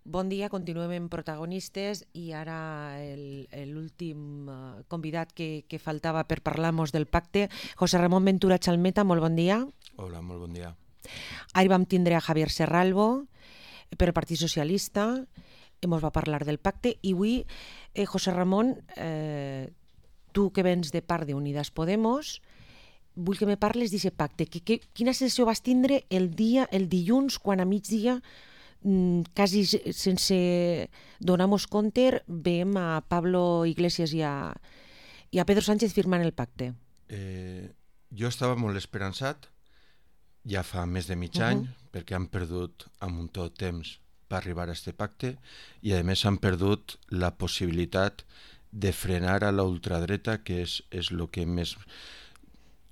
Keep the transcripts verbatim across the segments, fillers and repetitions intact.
Bon dia, continuem en protagonistes i ara l'últim convidat que, que faltava per parlar-nos del pacte, José Ramón Ventura Chalmeta, molt bon dia. Hola, molt bon dia. Ahir vam tindre a Javier Serralvo per el Partit Socialista, ens va parlar del pacte i avui, eh, José Ramón, eh, tu que vens de part d'Unidas Podemos, vull que me parles d'aquest pacte. Que, que, quina sensació vas tindre el dia, el dilluns, quan a migdia, quasi sense donar-nos compte, veiem a Pablo Iglesias i a, i a Pedro Sánchez firmant el pacte? Eh, jo estava molt esperançat, ja fa més de mig uh-huh. any, perquè han perdut un muntó de temps per arribar a aquest pacte i a més han perdut la possibilitat de frenar a la ultradreta, que és, és el que més...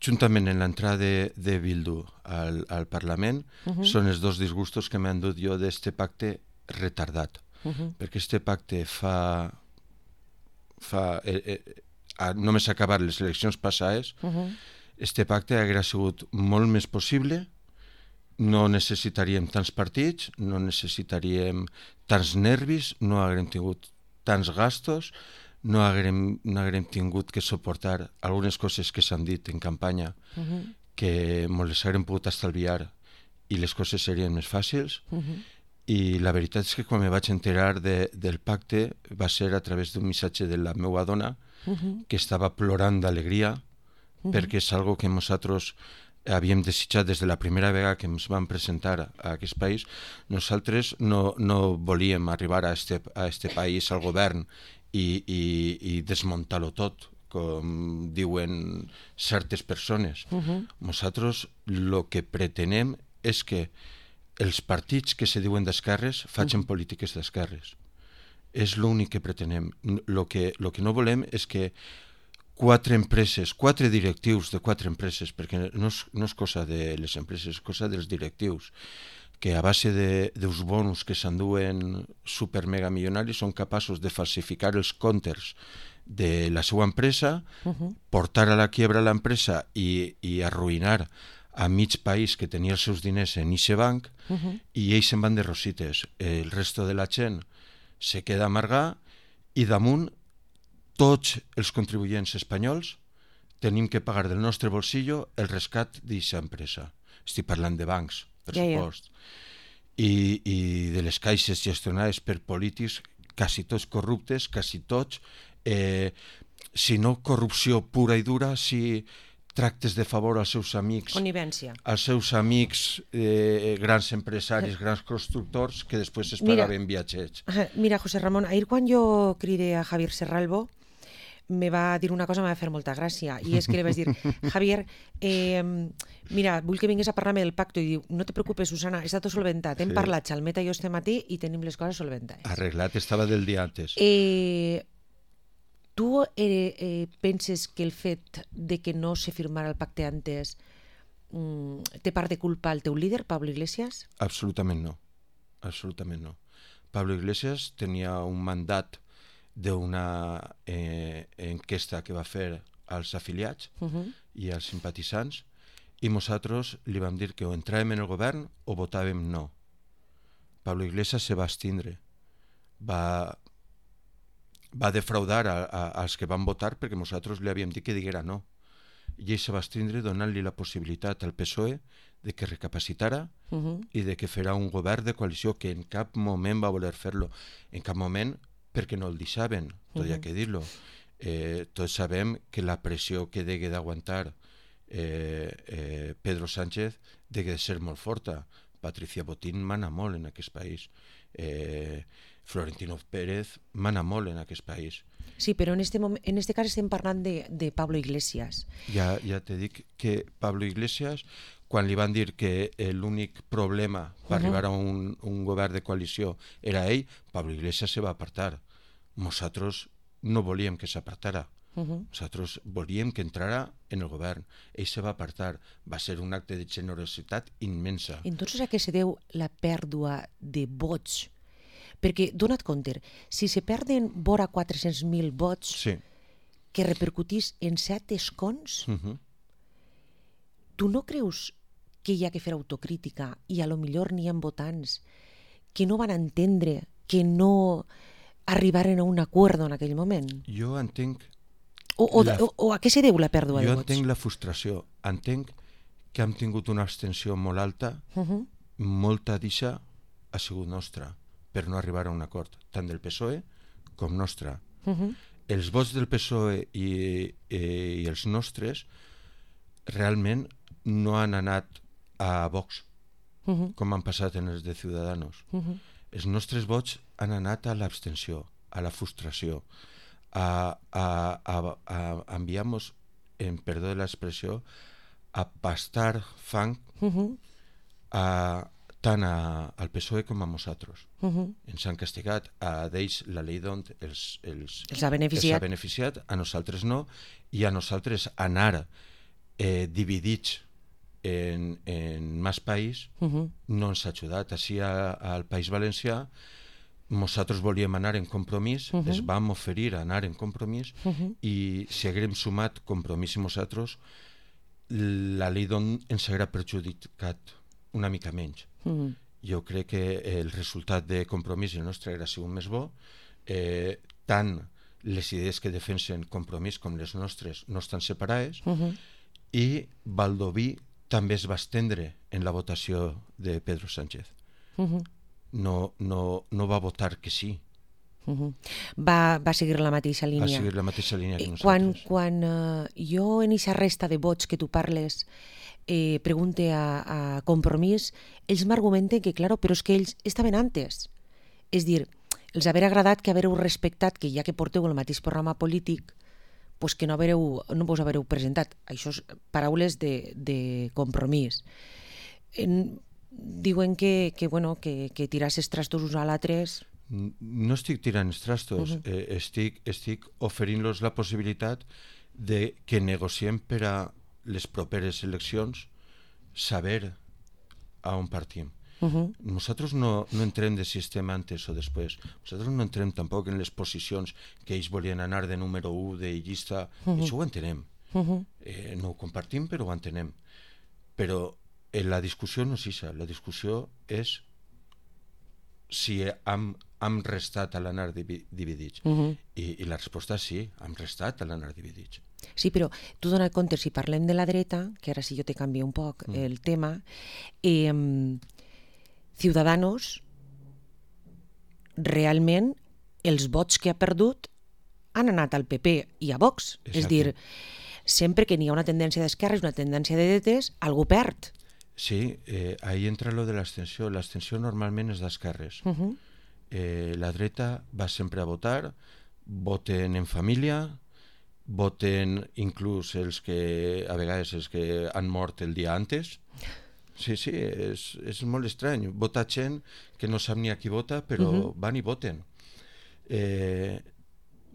Juntament en l'entrada de, de Bildu al, al Parlament, uh-huh. són els dos disgustos que m'han dut jo d'este pacte retardat. Uh-huh. Perquè este pacte fa... fa eh, eh, només acabar les eleccions passades, uh-huh. este pacte hauria sigut molt més possible, no necessitaríem tants partits, no necessitaríem tants nervis, no haguem tingut tants gastos, no haguem, no haguem tingut que suportar algunes coses que s'han dit en campanya uh-huh. que ens les haguem pogut estalviar i les coses serien més fàcils. Uh-huh. I la veritat és que quan me vaig enterar de, del pacte va ser a través d'un missatge de la meva dona uh-huh. que estava plorant d'alegria uh-huh. perquè és algo que nosaltres havíem desitjat des de la primera vegada que ens vam presentar a aquest país. Nosaltres no, no volíem arribar a este, a este país, al govern, i, i, i desmuntar-lo tot, com diuen certes persones. Uh-huh. Nosaltres el que pretenem és que els partits que se diuen d'esquerres facin uh-huh. polítiques d'esquerres. És l'únic que pretenem. Lo que, lo que no volem és que quatre empreses, quatre directius de quatre empreses, perquè no és, no és cosa de les empreses, és cosa dels directius, que a base dels bonus que s'enduen super mega milionaris són capaços de falsificar els comptes de la seva empresa, uh-huh. portar a la quiebra l'empresa i, i arruïnar a mig país que tenia els seus diners en eixe banc uh-huh. i ells se'n van de rosites. El resto de la gent se queda amargar i damunt tots els contribuents espanyols tenim que pagar del nostre bolsillo el rescat d'aquesta empresa. Estic parlant de bancs, per ja, supost. Ja. I, I de les caixes gestionades per polítics, quasi tots corruptes, quasi tots, eh, si no corrupció pura i dura, si tractes de favor als seus amics, connivència, als seus amics eh, grans empresaris, grans constructors, que després es pagaven viatgets. Mira, José Ramón, ahir quan jo cridé a Javier Serralvo, me va dir una cosa que m'ha fer molta gràcia, i és que li vaig dir, Javier, eh, mira, vull que vinguis a parlar-me del pacte, i diu, no te preocupes, Susana, està tot solventat, hem sí. parlat Chalmeta i jo este matí i tenim les coses solventades. Arreglat estava del dia antes. Eh, tu eh, eh, penses que el fet de que no se firmara el pacte antes mm, té part de culpa el teu líder, Pablo Iglesias? Absolutament no, absolutament no. Pablo Iglesias tenia un mandat d'una eh, enquesta que va fer als afiliats uh-huh. i als simpatitzants i nosaltres li vam dir que o entràvem en el govern o votàvem no. Pablo Iglesias se va abstindre, va, va defraudar a, a, als que van votar perquè nosaltres li havíem dit que diguera no i ell se va abstindre donant-li la possibilitat al P S O E de que recapacitara uh-huh. i de que farà un govern de coalició, que en cap moment va voler fer-lo, en cap moment perquè no el deixaven, tot hi ha que dir-lo. Eh, tots sabem que la pressió que degue d'aguantar eh, eh, Pedro Sánchez degue de ser molt forta. Patricia Botín mana molt en aquest país. Eh, Florentino Pérez mana molt en aquest país. Sí, però en este, moment, en este cas estem parlant de, de Pablo Iglesias. Ja, ja te dic que Pablo Iglesias, quan li van dir que l'únic problema per uh-huh. arribar a un, un govern de coalició era ell, Pablo Iglesias se va apartar. Nosaltres no volíem que s'apartara. Uh-huh. Nosaltres volíem que entrara en el govern. Ell se va apartar. Va ser un acte de generositat immensa. Entonces a què se deu la pèrdua de vots? Perquè, dona't compte, si se perden vora quatre-cents mil vots sí. que repercutís en set escons, uh-huh. tu no creus que hi ha que fer autocrítica i a lo millor n'hi ha votants que no van entendre que no arribaren a un acord en aquell moment? Jo entenc... O, o, la... o, o a què se deu la pèrdua jo de vots? Jo entenc la frustració. Entenc que hem tingut una abstenció molt alta, uh-huh. molta d'aixa ha sigut nostra, per no arribar a un acord, tant del P S O E com nostra. Uh-huh. Els vots del P S O E i, i, i els nostres realment no han anat a Vox, uh-huh. com han passat en els de Ciudadanos. Uh-huh. Els nostres vots han anat a l'abstenció, a la frustració, a, a, a, a, a enviar-nos, en perdó de l'expressió, a pastar fang uh-huh. a, tant a, al P S O E com a nosaltres. Uh-huh. Ens han castigat, a d'ells la llei d'ont els, els, els, ha beneficiat. els ha beneficiat, a nosaltres no, i a nosaltres anar eh, dividits en, en més país uh-huh. no ens ha ajudat. Així a, al País Valencià nosaltres volíem anar en compromís, uh-huh. es vam oferir a anar en compromís uh-huh. i si haguem sumat compromís i nosaltres, la llei d'on ens haguera perjudicat una mica menys. Uh-huh. Jo crec que el resultat de compromís el nostre haguera sigut més bo, eh, tant les idees que defensen compromís com les nostres no estan separades, uh-huh. i Baldoví també es va estendre en la votació de Pedro Sánchez. Uh-huh. No, no, no va votar que sí. Uh-huh. Va, va seguir la mateixa línia. Va seguir la mateixa línia que quan, nosaltres. Quan uh, jo en aquesta resta de vots que tu parles eh, pregunte a, a Compromís, ells m'argumenten que, claro, però és que ells estaven antes. És dir, els haver agradat que havereu respectat que ja que porteu el mateix programa polític, pues que no, havereu, no vos havereu presentat. Això és paraules de, de Compromís. En, diuen que, que, bueno, que, que tiràs els trastos uns a l'altres. No estic tirant els trastos, uh-huh. eh, estic, estic oferint-los la possibilitat de que negociem per a les properes eleccions saber a on partim. Uh-huh. Nosaltres no, no entrem de si estem antes o després. Nosaltres no entrem tampoc en les posicions que ells volien anar de número u, de llista. Uh-huh. Això ho entenem. Uh-huh. Eh, no ho compartim, però ho entenem. Però eh, la discussió no és això. La discussió és si hem, hem restat a l'anar dividits. Uh-huh. I, I la resposta és sí, hem restat a l'anar dividits. Sí, però tu dona compte, si parlem de la dreta, que ara sí jo te canvio un poc mm. el tema, eh, Ciudadanos realment els vots que ha perdut han anat al P P i a Vox. Exacte. És dir, sempre que n'hi ha una tendència d'esquerres, una tendència de dretes, algú perd. Sí, eh, ahí entra lo de l'abstenció. L'abstenció normalment és d'esquerres. Uh-huh. eh, la dreta va sempre a votar, voten en família, voten inclús els que, a vegades, els que han mort el dia antes. Sí, sí, és, és molt estrany. Vota gent que no sap ni a qui vota, però uh-huh. van i voten. Eh,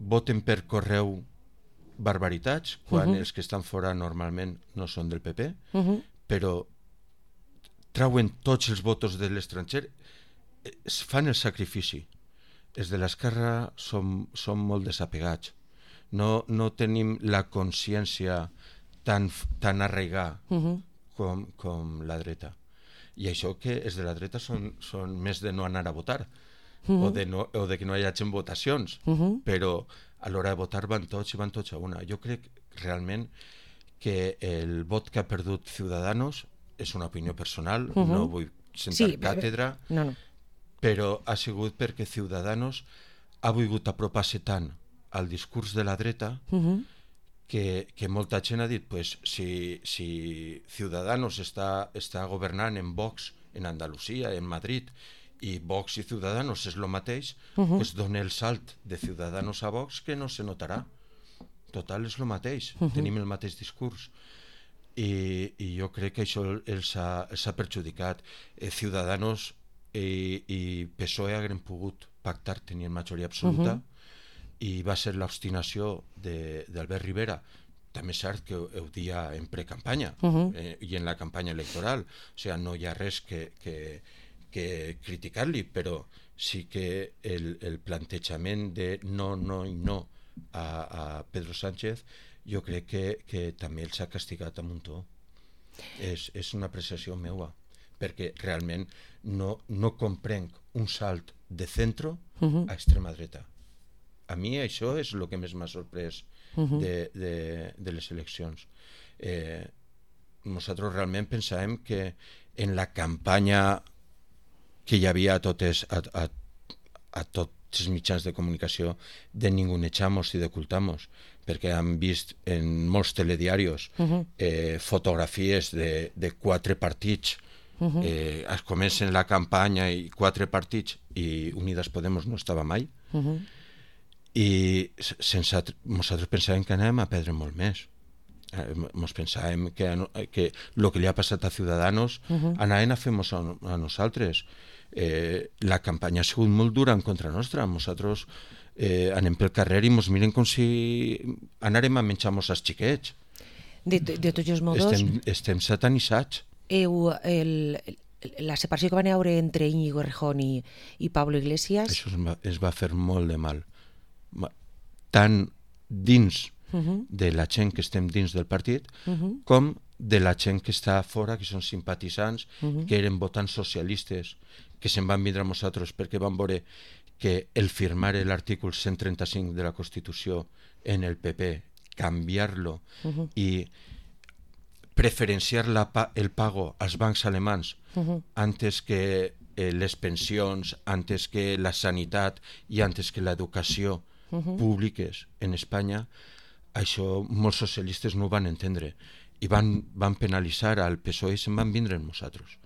voten per correu barbaritats, quan uh-huh. els que estan fora normalment no són del P P, uh-huh. però trauen tots els votos de l'estranger, es fan el sacrifici. Els de l'esquerra som, som molt desapegats. No, no tenim la consciència tan, tan arraigada uh-huh. com, com la dreta. I això que els de la dreta són, són més de no anar a votar uh-huh. o, de no, o de que no hi hagi votacions, uh-huh. però a l'hora de votar van tots i van tots a una. Jo crec realment que el vot que ha perdut Ciudadanos és una opinió personal, uh-huh. no vull sentar sí, càtedra, no, no. però ha sigut perquè Ciudadanos ha volgut apropar-se tant al discurs de la dreta uh-huh. que, que molta gent ha dit pues, si, si Ciudadanos està, està governant en Vox, en Andalusia, en Madrid, i Vox i Ciudadanos és el mateix, uh-huh. pues dona el salt de Ciudadanos a Vox que no se notarà. Total, és el mateix, uh-huh. tenim el mateix discurs. I, i jo crec que això els ha, els ha perjudicat. Eh, Ciudadanos i, i P S O E haguem pogut pactar, tenien majoria absoluta, uh-huh. i va ser l'obstinació d'Albert Rivera. També és cert que ho, ho dia en precampanya uh-huh. eh, i en la campanya electoral. O sigui, no hi ha res que, que, que criticar-li, però sí que el, el plantejament de no, no i no a, a Pedro Sánchez jo crec que, que també els ha castigat a muntó. És, és una apreciació meua, perquè realment no, no comprenc un salt de centro Uh-huh. a extrema dreta. A mi això és el que més m'ha sorprès Uh-huh. de, de, de les eleccions. Eh, nosaltres realment pensàvem que en la campanya que hi havia a totes, a, a, a tots els mitjans de comunicació de ningunejamos i d'ocultamos, perquè han vist en molts telediaris Uh-huh. eh, fotografies de, de quatre partits. Uh-huh. Eh, es comencen la campanya i quatre partits i Unidas Podemos no estava mai. Uh-huh. I sense, nosaltres pensàvem que anàvem a perdre molt més. Eh, Mos pensàvem que, que el que li ha passat a Ciudadanos Uh-huh. anaven a fer-nos a, a nosaltres. Eh, la campanya ha sigut molt dura en contra nostra. Nosaltres eh, anem pel carrer i ens miren com si anàrem a menjar-nos els xiquets. De, de, de tots els modos, Estem, estem satanitzats. heu, el, la separació que van haure entre Íñigo Errejón i, i Pablo Iglesias, Això es va, es va fer molt de mal. Ma- Tant dins uh-huh. de la gent que estem dins del partit, Uh-huh. com de la gent que està fora, que són simpatitzants, Uh-huh. que eren votants socialistes, que se'n van vindre a nosaltres perquè van veure que el firmar l'article cent trenta-cinc de la Constitució en el P P, canviar-lo Uh-huh. i preferenciar la pa el pago als bancs alemans Uh-huh. antes que eh, les pensions, antes que la sanitat i antes que l'educació Uh-huh. públiques en Espanya, això molts socialistes no ho van entendre i van, van penalitzar al P S O E i se'n van vindre amb nosaltres.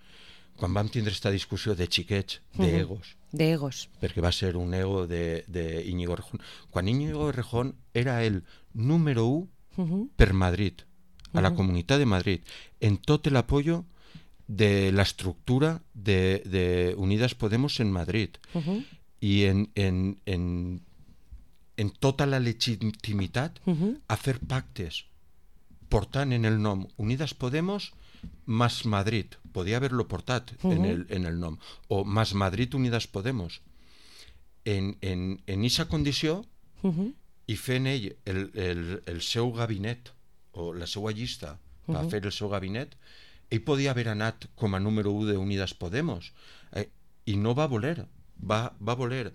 Quan vam tindre aquesta discussió de xiquets, d'egos, De egos. perquè va ser un ego de, de Íñigo Errejón, quan Íñigo Errejón era el número u Uh-huh. per Madrid, a la Ujú. Comunitat de Madrid, en tot el apoyo de la estructura de, de Unidas Podemos en Madrid Uh-huh. i en, en, en, en tota la legitimitat Uh-huh. a fer pactes portant en el nom Unidas Podemos más Madrid, podia haver-lo portat en, Ujú. el, en el nom, o más Madrid Unidas Podemos. En, en, en esa condició Uh-huh. i fent ell el, el, el seu gabinet o la seva llista per Mhm. fer el seu gabinet, ell podia haver anat com a número u de Unidas Podemos eh, i no va voler, va, va voler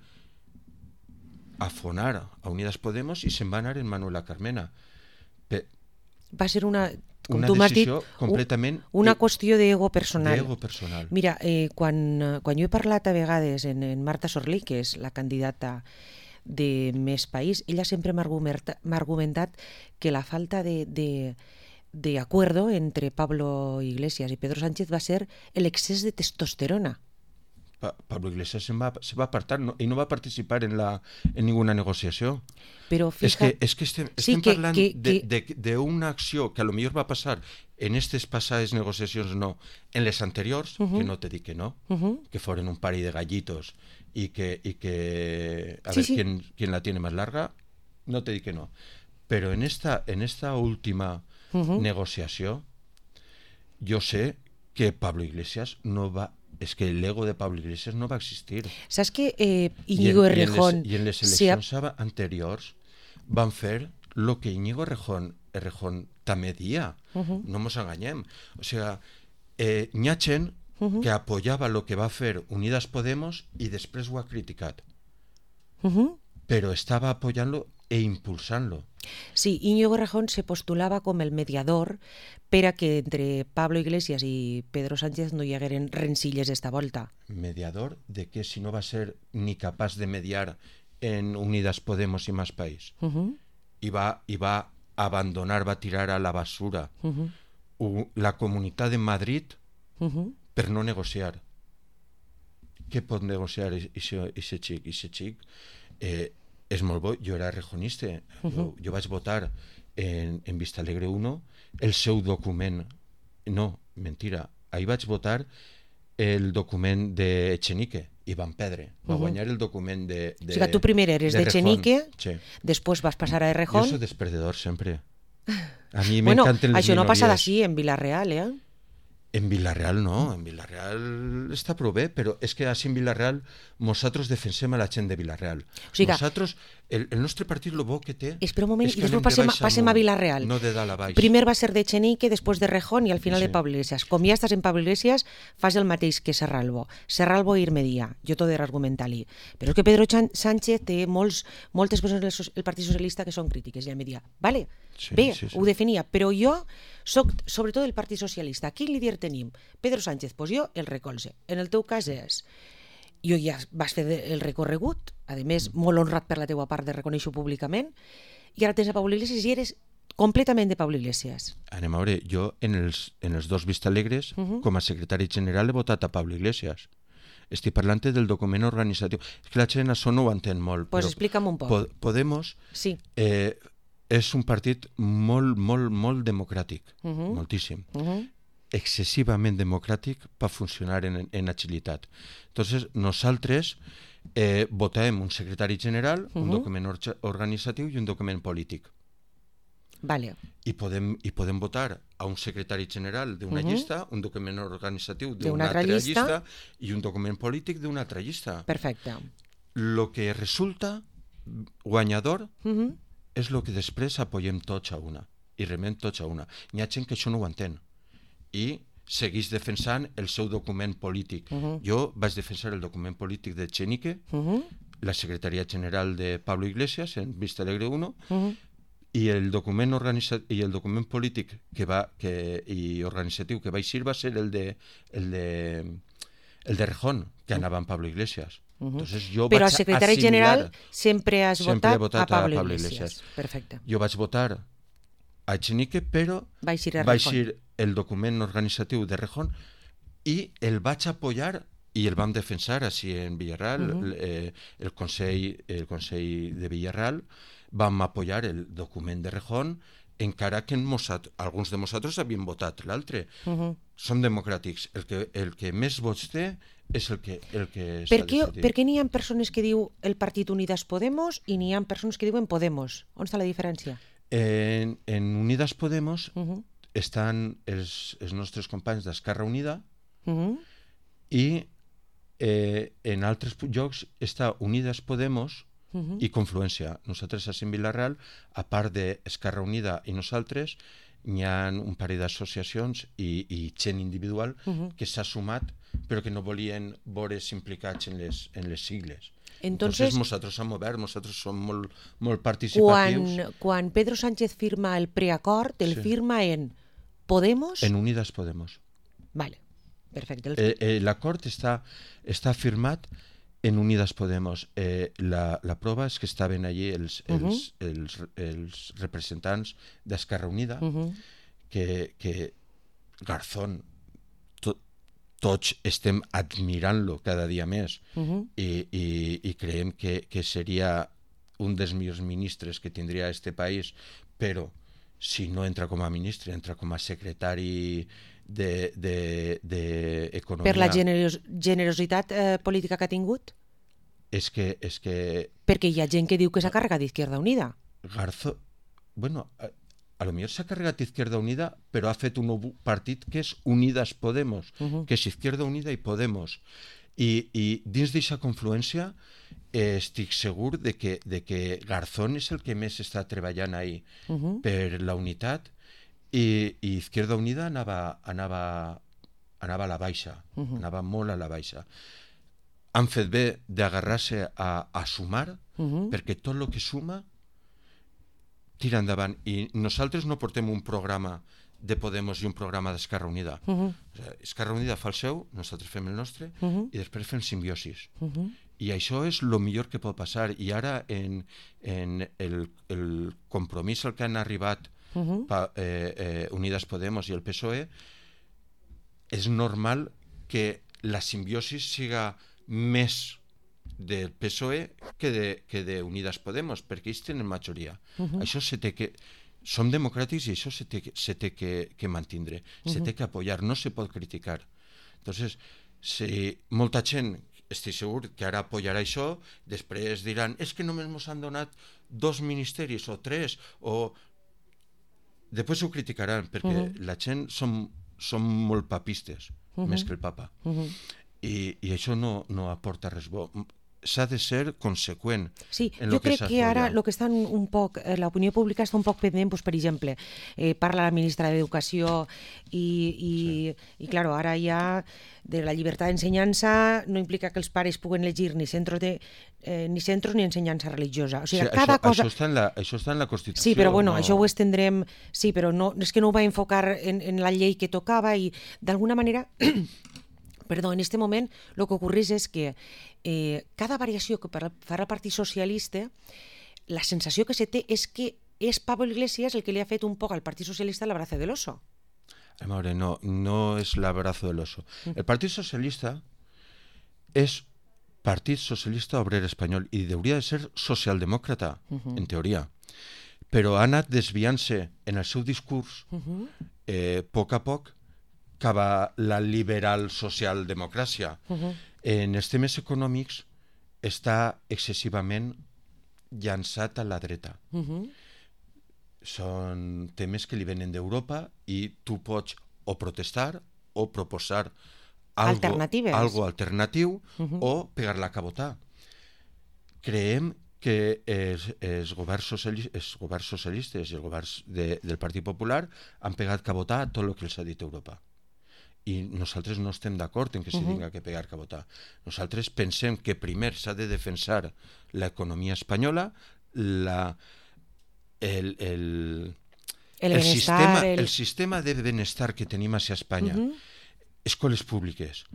afonar a Unidas Podemos i se'n va anar en Manuela Carmena. Pe Va ser una, com una tu m'has dit, decisió completament una i- qüestió d'ego personal. d'ego personal. Mira, eh, quan, eh, quan jo he parlat a vegades en, en Marta Sorlí, que és la candidata de Més País, ella sempre m'ha argumenta- m'ha argumentat que la falta de, de, de acuerdo entre Pablo Iglesias y Pedro Sánchez va a ser el excés de testosterona. Pa Pablo Iglesias se va, se va apartar no, i no va participar en, la, en ninguna negociació. Però És fija... que, és que estem, Sí, estem que- parlant que- de- de- d'una acció que a lo millor va passar en aquestes passades negociacions, no, en les anteriors, Uh-huh. que no te dic que no, Uh-huh. que foren un pari de gallitos y que, y que a Sí, ver sí. quién, quién la tiene más larga, no te dic que no. Pero en esta, en esta última Uh-huh. negociació, yo sé que Pablo Iglesias no va... Es que el ego de Pablo Iglesias no va a existir. Saps que eh, I en- Íñigo i en les- Errejón I en les se ha- eleccions aba- anteriors van fer lo que Íñigo Errejón, Errejón també dia. Uh-huh. No ens enganyem. O sea, eh, n'hi ha gent Uh-huh. que apoyava lo que va fer Unidas Podemos i després ho ha criticat. Uh-huh. Però estava apoyant-lo e impulsant-lo. Sí, Íñigo Errejón se postulava com el mediador per a que entre Pablo Iglesias i Pedro Sánchez no hi hagueren rencilles d'esta volta. Mediador de que si no va ser ni capaç de mediar en Unidas Podemos i Más País. Uh-huh. I va, i va abandonar, va tirar a la basura Uh-huh. u- la Comunitat de Madrid Uh-huh. per no negociar. Què pot negociar aquest xic? Aquest xic eh, és molt bo. Jo era rejonista. Uh-huh. jo, jo vaig votar en, en Vista Alegre uno el seu document. No, mentira. Ahir vaig votar el document de Echenique i van perdre. Va Uh-huh. guanyar el document de... de O sigui que tu primer eres de d'Echenique, Rejón. Sí. després vas passar a Jo Errejón. soy desperdedor sempre. A mi Bueno, m'encanten les això no ha passat minories. així en Vila-real, eh? En Vilareal no, en Vilareal està prou bé, però és que així en Vilareal nosaltres defensem a la gent de Vilareal. O sigui que- Nosaltres, el, el nostre partit lo bo que té Espera un moment és i que després anem de passem, baix passem a amunt, Vilareal. no de dalt a baix. Primer va ser de Chenique, després de Rejón i al final Sí. de Pablo Iglesias. Com ja estàs en Pablo Iglesias, fas el mateix que Serralvo. Serralvo i Irmedia, jo t'ho he d'argumentar-li. Però és que Pedro Chan- Sánchez té molts, moltes persones del so- el Partit Socialista que són crítiques, i em dia, vale, Sí, bé, sí, sí. ho definia, però jo soc sobretot del Partit Socialista. Quin líder tenim? Pedro Sánchez, doncs jo el recolze. En el teu cas és... Jo ja vas fer el recorregut, a més, molt honrat per la teua part de reconèixer-ho públicament, i ara tens a Pablo Iglesias i eres completament de Pablo Iglesias. Anem a veure, jo en els, en els dos Vistalegres, uh -huh. com a secretari general, he votat a Pablo Iglesias. Estic parlant del document organitzatiu. És que la gent això no ho entén molt. Pues però explica'm un poc. Po Podemos Sí. eh, és un partit molt, molt, molt democràtic, Uh -huh. moltíssim. Uh -huh. Excessivament democràtic per funcionar en, en agilitat. Entonces, nosaltres eh, votem un secretari general, uh -huh. un document or organitzatiu i un document polític. Vale. I podem, i podem votar a un secretari general d'una uh -huh. llista, un document organitzatiu d'una altra llista. llista i un document polític d'una altra llista. Perfecte. Lo que resulta guanyador Uh -huh. és el que després apoyem tots a una i remem tots a una. Hi ha gent que això no ho entén i segueix defensant el seu document polític. Uh -huh. Jo vaig defensar el document polític de Chenique, uh -huh. la secretaria general de Pablo Iglesias en Vistalegre uno, uh -huh. i el document organitza i el document polític que va que i organitzatiu que va eixir va ser el de el de el de Rejón, que anava amb Pablo Iglesias. Uh -huh. Entonces, jo Però vaig al secretari assimilar, general sempre has sempre votat, he votat a Pablo, a Pablo Iglesias. Iglesias. Perfecte. Jo vaig votar a Echenique, però Va eixir a va Rejón. eixir el document organitzatiu de Rejón i el vaig apoyar i el vam defensar així en Villarreal. Uh -huh. eh, el, Consell, el Consell de Villarreal vam apoyar el document de Rejón, encara que nosaltres, alguns de nosaltres havíem votat l'altre. Uh -huh. Som democràtics. El que, el que més vots té és el que, el que s'ha Per què, decidit. per què n'hi ha persones que diu el Partit Unidas Podemos i n'hi ha persones que diuen Podemos? On està la diferència? En, en Unidas Podemos Uh -huh. estan els, els nostres companys d'Esquerra Unida Uh -huh. i eh, en altres llocs està Unidas Podemos uh -huh. i Confluència. Nosaltres a Sant Vilareal, a part d'Esquerra Unida i nosaltres, hi ha un parell d'associacions i, i gent individual uh -huh. que s'ha sumat però que no volien veure's implicats en les, en les sigles. Entonces, Entonces nosaltres som oberts, nosaltres som molt, molt participatius. Quan, quan Pedro Sánchez firma el preacord, el Sí. firma en Podemos... En Unidas Podemos. Vale, perfecte. El... Eh, eh, L'acord està, està firmat en Unidas Podemos. Eh, la, la prova és que estaven allí els, els, uh -huh. els, els representants d'Esquerra Unida, uh -huh. que, que Garzón, to, tots estem admirant-lo cada dia més uh -huh. i, i, i creiem que, que seria un dels millors ministres que tindria este país, però si no entra com a ministre, entra com a secretari de, de, de economia. Per la generos, generositat eh, política que ha tingut? És que, és que... Perquè hi ha gent que diu que s'ha carregat d'Izquierda Unida. Garzón, bueno, a, a lo millor s'ha carregat Izquierda Unida, però ha fet un nou partit que és Unidas Podemos, uh -huh. que és Izquierda Unida i Podemos. I, i dins d'aquesta confluència eh, estic segur de que, de que Garzón és el que més està treballant ahí uh -huh. per la unitat i, i Izquierda Unida anava, anava, anava a la baixa, uh -huh. anava molt a la baixa. Han fet bé d'agarrar-se a, a sumar, uh -huh. perquè tot el que suma tira endavant. I nosaltres no portem un programa de Podemos i un programa d'Esquerra Unida. Uh -huh. O sigui, Esquerra Unida fa el seu, nosaltres fem el nostre, uh -huh. i després fem simbiosis. Uh -huh. I això és el millor que pot passar. I ara, en, en el, el compromís al que han arribat uh -huh. pa, eh, eh, Unidas Podemos i el P S O E, és normal que la simbiosis siga més del P S O E que de, que de Unidas Podemos, perquè ells tenen majoria. Uh -huh. Això se té que... Som democràtics i això se té, se té que, que mantindre, uh -huh. se té que apoyar, no se pot criticar. Entonces, si molta gent, estic segur que ara apoyarà això, després diran, és que només ens han donat dos ministeris o tres, o... Després ho criticaran, perquè uh -huh. la gent som som molt papistes, uh -huh. més que el papa. Uh -huh. I, i això no, no aporta res bo. S'ha de ser conseqüent. Sí, en jo lo que crec que ara el que estan un poc, eh, l'opinió pública està un poc pendent, doncs, per exemple, eh, parla la ministra d'Educació i, i, sí. i claro, ara ja de la llibertat d'ensenyança no implica que els pares puguen elegir ni centros, de, eh, ni, centros ni ensenyança religiosa. O sigui, sí, cada això, cosa... Això està, en la, això està en la Constitució. Sí, però bueno, no... això ho estendrem... Sí, però no, és que no ho va enfocar en, en la llei que tocava i d'alguna manera... Perdó, en este moment el que ocorreix és que eh, cada variació que farà el Partit Socialista, la sensació que se té és que és Pablo Iglesias el que li ha fet un poc al Partit Socialista l'abrazo del oso. A veure, no, no és l'abrazo del oso. El Partit Socialista és Partit Socialista Obrer Espanyol i hauria de ser socialdemòcrata, uh -huh. en teoria. Però ha anat desviant-se en el seu discurs uh -huh. eh, a poc a poc cap a la liberal socialdemocràcia. Uh -huh. En els temes econòmics està excessivament llançat a la dreta. Uh -huh. Són temes que li venen d'Europa i tu pots o protestar o proposar algo, algo alternatiu uh -huh. o pegar-la a cabotar. Creiem que els, els, governs socialistes, els governs socialistes i els governs de, del Partit Popular han pegat cabotar a tot el que els ha dit Europa. I nosaltres no estem d'acord en que s'hi tinga que pegar cabotar. Nosaltres pensem que primer s'ha de defensar l'economia espanyola, la, el, el, el, el, sistema, el... el sistema de benestar que tenim a Espanya, uh -huh. escoles públiques,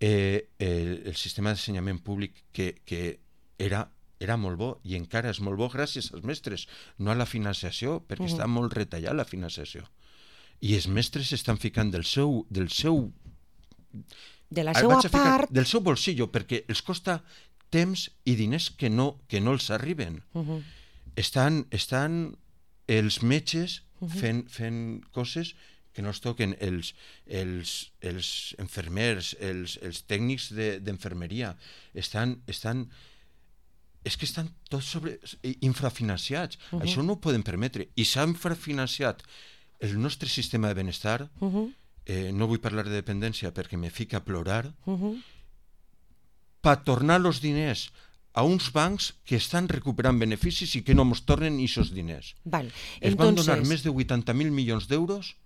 eh, el, el sistema d'ensenyament públic que, que era, era molt bo i encara és molt bo gràcies als mestres, no a la financiació, perquè uh -huh. està molt retallat la financiació. I els mestres estan ficant del seu... Del seu de la seva part... Del seu bolsillo, perquè els costa temps i diners que no, que no els arriben. Uh -huh. estan, estan els metges uh -huh. fent, fent coses que no es toquen, els, els, els enfermers, els, els tècnics d'enfermeria, de, estan... estan és que estan tots sobre, infrafinanciats. Uh -huh. Això no ho poden permetre. I s'ha infrafinanciat el nostre sistema de benestar, uh -huh. eh, no vull parlar de dependència perquè me fica a plorar, uh -huh. per tornar els diners a uns bancs que estan recuperant beneficis i que no ens tornen aquests diners. Val. Es Entonces... van donar més de vuitanta mil milions d'euros,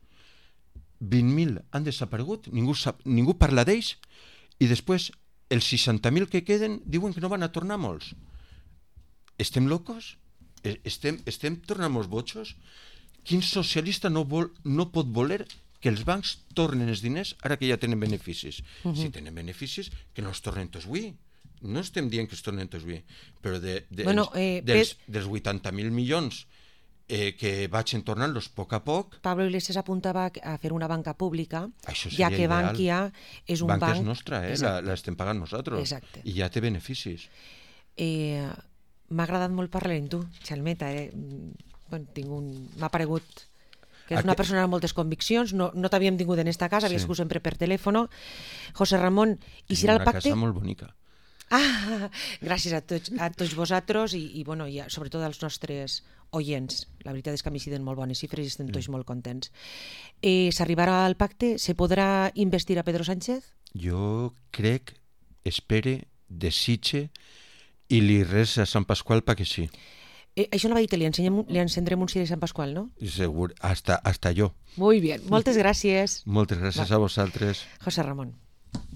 vint mil han desaparegut, ningú, sap, ningú parla d'ells, i després els seixanta mil que queden diuen que no van a tornar molts. Estem locos? Estem, estem tornant-nos botxos? Quin socialista no, vol, no pot voler que els bancs tornen els diners ara que ja tenen beneficis? Uh -huh. Si tenen beneficis, que no els tornen tots avui. No estem dient que es tornen tots avui, però de, de, bueno, eh, dels, dels vuitanta mil milions eh, que vagin tornant-los a poc a poc... Pablo Iglesias apuntava a fer una banca pública, ja que ideal. Bankia és un Banca banc... és nostra, eh? la, la estem pagant nosaltres. Exacte. I ja té beneficis. Eh, M'ha agradat molt parlar amb tu, Xalmeta. Eh? Bueno, tinc un... M'ha paregut que és una persona amb moltes conviccions. No, no t'havíem tingut en esta casa, havies sí. sigut sempre per telèfono. José Ramon, i serà el pacte... Una casa molt bonica. Ah, gràcies a tots, a tots vosaltres i, i, bueno, i a, sobretot als nostres oients. La veritat és que a mi sí den molt bones xifres i estem tots mm. molt contents. Eh, S'arribarà al pacte? Se podrà investir a Pedro Sánchez? Jo crec, espere, desitge i li res a Sant Pasqual perquè sí. Eh, això no va dir, li, ensenyem, li encendrem un ciri a Sant Pasqual, no? Segur, hasta, hasta jo. Muy bien, moltes gràcies. Moltes gràcies va. A vosaltres. José Ramon.